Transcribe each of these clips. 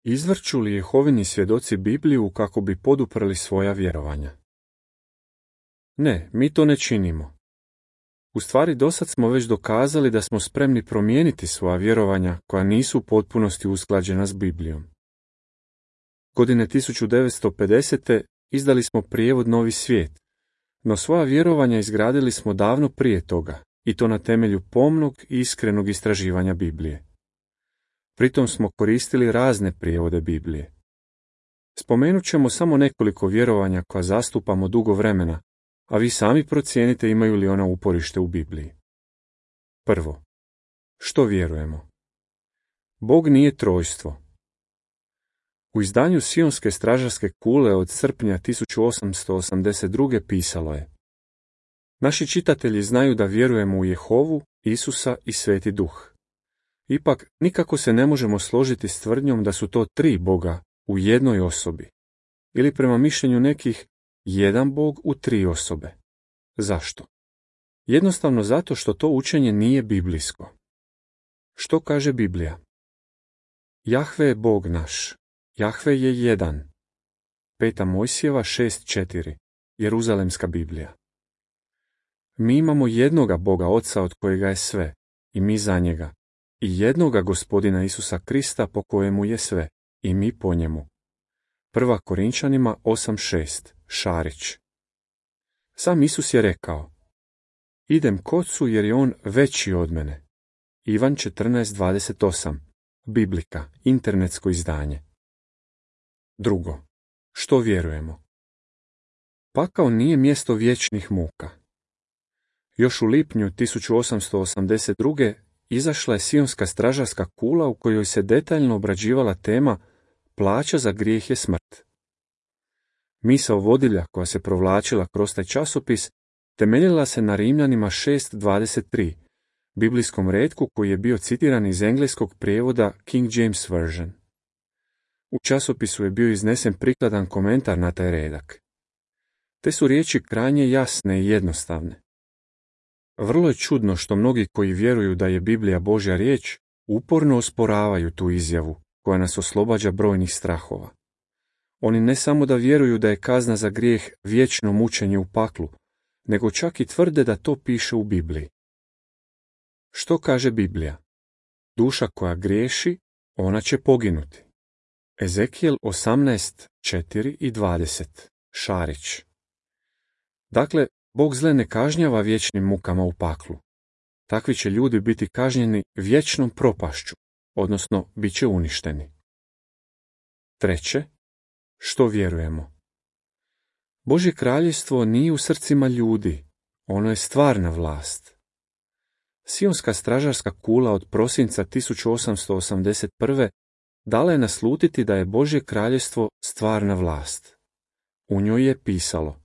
Izvrću li Jehovini svjedoci Bibliju kako bi poduprli svoja vjerovanja? Ne, mi to ne činimo. U stvari, dosad smo već dokazali da smo spremni promijeniti svoja vjerovanja koja nisu u potpunosti usklađena s Biblijom. Godine 1950. izdali smo prijevod Novi svijet, no svoja vjerovanja izgradili smo davno prije toga, i to na temelju pomnog i iskrenog istraživanja Biblije. Pritom smo koristili razne prijevode Biblije. Spomenut ćemo samo nekoliko vjerovanja koja zastupamo dugo vremena, a vi sami procijenite imaju li ona uporište u Bibliji. Prvo, što vjerujemo? Bog nije trojstvo. U izdanju Sionske stražarske kule od srpnja 1882. pisalo je: Naši čitatelji znaju da vjerujemo u Jehovu, Isusa i Sveti Duh. Ipak, nikako se ne možemo složiti s tvrdnjom da su to 3 Boga u jednoj osobi, ili prema mišljenju nekih, jedan Bog u 3 osobe. Zašto? Jednostavno zato što to učenje nije biblijsko. Što kaže Biblija? Jahve je Bog naš. Jahve je jedan. 5. Mojsijeva 6.4. Jeruzalemska Biblija. Mi imamo jednoga Boga Oca od kojega je sve, i mi za njega, i jednoga Gospodina Isusa Krista po kojemu je sve, i mi po njemu. 1. Korinčanima 8.6. Šarić. Sam Isus je rekao: Idem k Ocu jer je on veći od mene. Ivan 14.28. Biblika, internetsko izdanje. Drugo, što vjerujemo? Pakao nije mjesto vječnih muka. Još u lipnju 1882. izašla je Sionska stražarska kula u kojoj se detaljno obrađivala tema Plaća za grijeh je smrt. Misao vodilja koja se provlačila kroz taj časopis temeljila se na Rimljanima 6.23, biblijskom retku koji je bio citiran iz engleskog prijevoda King James Version. U časopisu je bio iznesen prikladan komentar na taj redak. Te su riječi krajnje jasne i jednostavne. Vrlo je čudno što mnogi koji vjeruju da je Biblija Božja riječ uporno osporavaju tu izjavu koja nas oslobađa brojnih strahova. Oni ne samo da vjeruju da je kazna za grijeh vječno mučenje u paklu, nego čak i tvrde da to piše u Bibliji. Što kaže Biblija? Duša koja griješi, ona će poginuti. Ezekijel 18.4 i 20. Šarić. Dakle, Bog zle ne kažnjava vječnim mukama u paklu. Takvi će ljudi biti kažnjeni vječnom propašću, odnosno bit će uništeni. Treće, što vjerujemo? Božje kraljevstvo nije u srcima ljudi, ono je stvarna vlast. Sionska stražarska kula od prosinca 1881. dala je naslutiti da je Božje kraljevstvo stvarna vlast. U njoj je pisalo: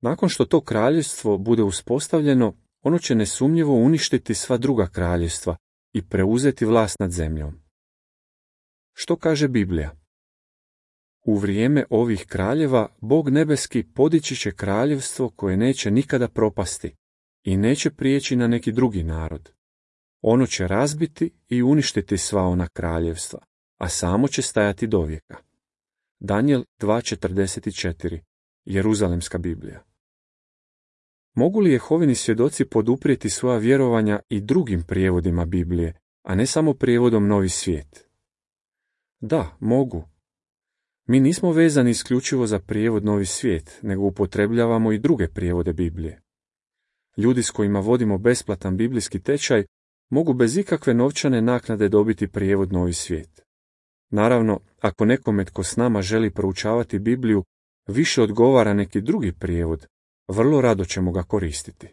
Nakon što to kraljevstvo bude uspostavljeno, ono će nesumnjivo uništiti sva druga kraljevstva i preuzeti vlast nad zemljom. Što kaže Biblija? U vrijeme ovih kraljeva Bog nebeski podići će kraljevstvo koje neće nikada propasti i neće prijeći na neki drugi narod. Ono će razbiti i uništiti sva ona kraljevstva, a samo će stajati dovijeka. Danijel 2.44. Jeruzalemska Biblija. Mogu li Jehovini svjedoci poduprijeti svoja vjerovanja i drugim prijevodima Biblije, a ne samo prijevodom Novi svijet? Da, mogu. Mi nismo vezani isključivo za prijevod Novi svijet, nego upotrebljavamo i druge prijevode Biblije. Ljudi s kojima vodimo besplatan biblijski tečaj mogu bez ikakve novčane naknade dobiti prijevod Novi svijet. Naravno, ako nekome tko s nama želi proučavati Bibliju više odgovara neki drugi prijevod, vrlo rado ćemo ga koristiti.